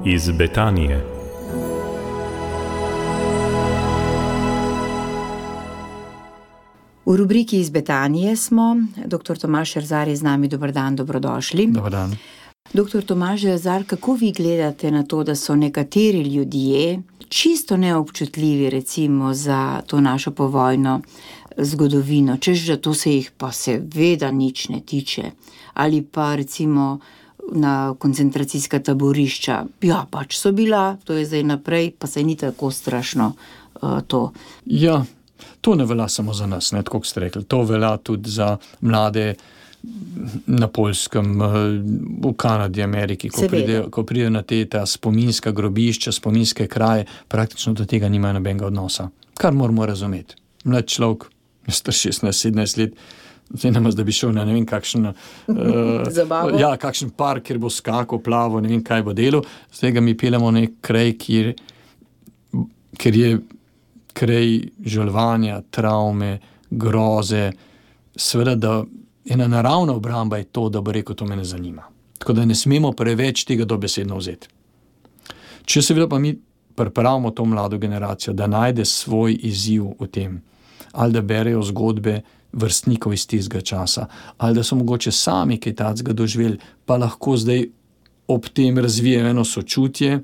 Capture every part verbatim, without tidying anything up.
iz Betanije. V rubriki iz Betanije smo. Doktor Tomaž Šerzar je z nami. Dober dan, dobrodošli. Dober dan. Doktor Tomaž Šerzar, kako vi gledate na to, da so nekateri ljudje čisto neobčutljivi recimo za to našo povojno zgodovino, češ, da to se jih pa seveda nič ne tiče, ali pa recimo na koncentracijska taborišča, ja, pač so bila, to je zdaj naprej, pa se ni tako strašno uh, to. Ja, to ne velja samo za nas, ne, tako kot ste rekli, to velja tudi za mlade na Poljskem, v Kanadi, Ameriki, ko pridejo, ko pridejo na te ta spominska grobišča, spominske kraje, praktično do tega nimajo nobenega odnosa. Kar moramo razumeti. Mlad človek, star šestnajst sedemnajst let, zdaj namaz, da bi šel na ne vem kakšen uh, ja, kakšen park, kjer bo skakal, plavo, ne vem kaj bo delal, zdaj ga mi peljamo v nek kraj, kjer, kjer je kraj žalovanja, travme, groze, seveda, da ena naravna obramba je to, da bo rekel, to me ne zanima. Tako da ne smemo preveč tega dobesedno vzeti. Če seveda pa mi pripravimo to mlado generacijo, da najde svoj izziv v tem, ali da berejo zgodbe vrstnikov iz tistega časa, ali da so mogoče sami kaj takega doživeli, pa lahko zdaj ob tem razvijajo eno sočutje,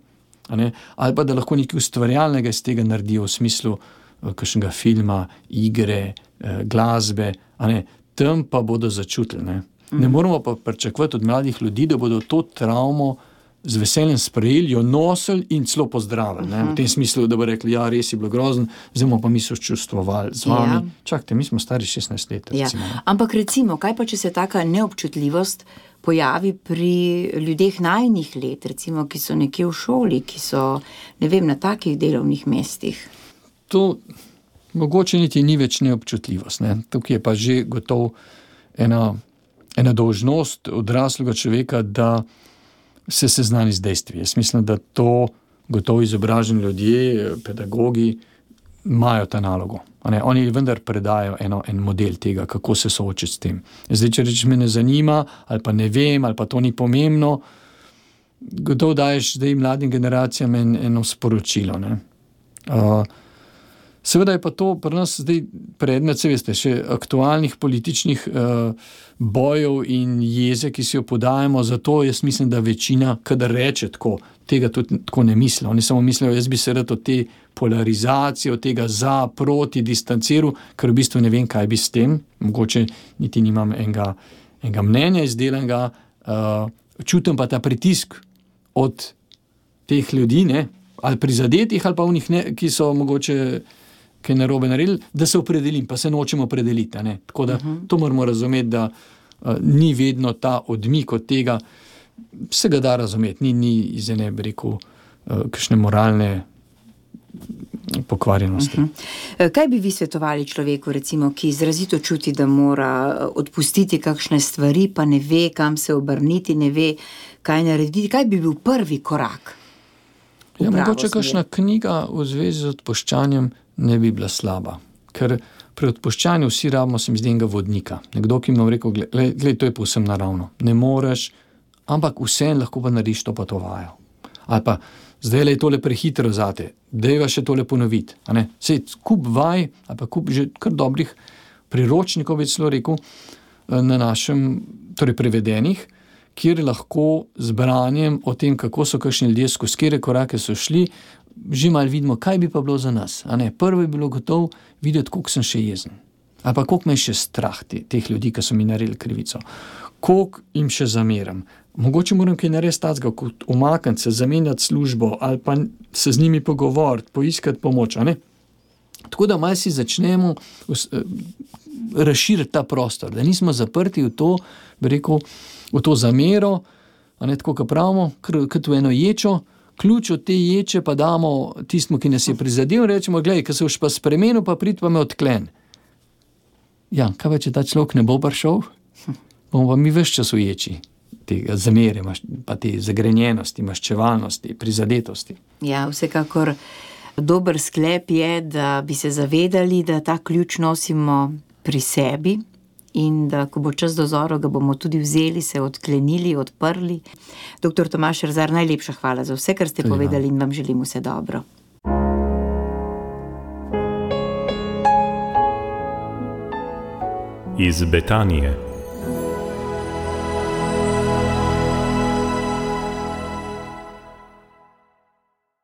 a ne, ali pa da lahko nekaj ustvarjalnega iz tega naredijo v smislu uh, kakšnega filma, igre, uh, glasbe, a ne, tam pa bodo začutili. Ne. Ne moramo pa pričakovati od mladih ljudi, da bodo to travmo z veseljem sprejeli, jo nosili in celo pozdravili. Ne. V tem smislu, da bo rekli, ja, res je bilo grozen, zdaj bomo pa mi sočustvovali z vami. Ja. Čakajte, mi smo stari šestnajst let. Ja. Recimo. Ampak recimo, kaj pa, če se taka neobčutljivost pojavi pri ljudeh najnih let, recimo, ki so nekje v šoli, ki so, ne vem, na takih delovnih mestih? To mogoče niti ni več neobčutljivost. Ne. Tukaj je pa že gotov ena, ena dolžnost odraslega človeka, da se seznani z dejstvi. Jaz mislim, da to gotovo izobraženi ljudje, pedagogi, imajo ta nalogo. Ne, oni vendar predajo eno, en model tega, kako se soočiti s tem. Zdaj, če rečeš, me ne zanima, ali pa ne vem, ali pa to ni pomembno, gotovo daješ zdaj mladim generacijam en, eno sporočilo. Ne. Uh, seveda je pa to pri nas zdaj predmet, se veste, še aktualnih političnih uh, bojev in jeze, ki si jo podajamo, zato jaz mislim, da večina, kadar reče tako, tega tudi tako ne misli. Oni samo mislijo, jaz bi se rad od te polarizacije, od tega za, proti, distanciral, ker v bistvu ne vem, kaj bi s tem, mogoče niti nimam enega, enega mnenja izdelanega, uh, čutim pa ta pritisk od teh ljudi, ne, ali prizadetih, ali pa unih, ne, ki so mogoče kaj narobe naredili, da se opredelim, pa se nočemo opredeliti. Ne. Tako da uh-huh. to moramo razumeti, da uh, ni vedno ta odmik od tega, se ga da razumeti, ni, ni iz ene, bi rekel, uh, kakšne moralne pokvarjenosti. Uh-huh. Kaj bi vi svetovali človeku, recimo, ki izrazito čuti, da mora odpustiti kakšne stvari, pa ne ve, kam se obrniti, ne ve, kaj narediti? Kaj bi bil prvi korak? Ja, mogoče kakšna knjiga v zvezi z odpuščanjem ne bi bila slaba. Ker pri odpuščanju vsi rabimo, se mi zdi, enega vodnika. Nekdo, ki mi je rekel, gled, gled, to je povsem naravno. Ne moreš, ampak vseeno lahko pa narediš to pa to vajo. Ali pa, zdaj je tole prehitro zate, dajva še tole ponoviti. A ne? Sej, kup vaj, ali pa kup že kar dobrih priročnikov, bi celo rekel, na našem, torej prevedenih, kjer lahko z branjem o tem, kako so kakšni ljudje, skozi katere korake so šli, že malo vidimo, kaj bi pa bilo za nas. A ne? Prvo je bilo gotovo videti, koliko sem še jezen. Ali pa koliko me je še strah te, teh ljudi, ki so mi naredili krivico. Koliko jim še zameram. Mogoče moram kaj narediti tacga, kot umakniti se, zamenjati službo, ali pa se z njimi pogovoriti, poiskati pomoč. A ne? Tako da malo si začnemo razširiti ta prostor, da nismo zaprti v to, bi rekel, v to zamero, a ne, tako, kot pravimo, kot v eno ječo, ključ od te ječe pa damo tistmu, ki nas je prizadel, rečemo, gledaj, ko se už pa spremenil, pa prid pa me odklen. Ja, kaj pa, če ta človek ne bo prišel? Bomo pa mi ves čas v ječi tega zamere, pa te zagrenjenosti, maščevalnosti, prizadetosti. Ja, vsekakor dober sklep je, da bi se zavedali, da ta ključ nosimo pri sebi in da, ko bo čas dozorov, ga bomo tudi vzeli, se odklenili, odprli. Doktor Tomaž Erzar, najlepša hvala za vse, kar ste tudi povedali in vam želim vse dobro. Iz Betanije.